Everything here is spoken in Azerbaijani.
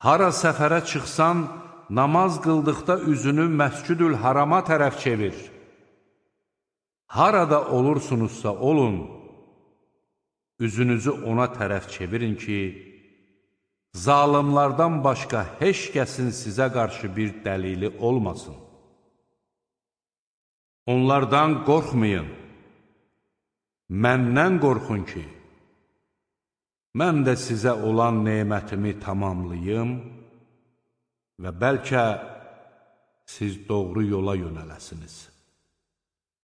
Hara səfərə çıxsan, namaz qıldıqda üzünü Məscüdül Harama tərəf çevir. Harada olursunuzsa olun, üzünüzü ona tərəf çevirin ki, zalimlardan başqa heç kəsin sizə qarşı bir dəlili olmasın. Onlardan qorxmayın, məndən qorxun ki, mən də sizə olan nemətimi tamamlayım və bəlkə siz doğru yola yönələsiniz.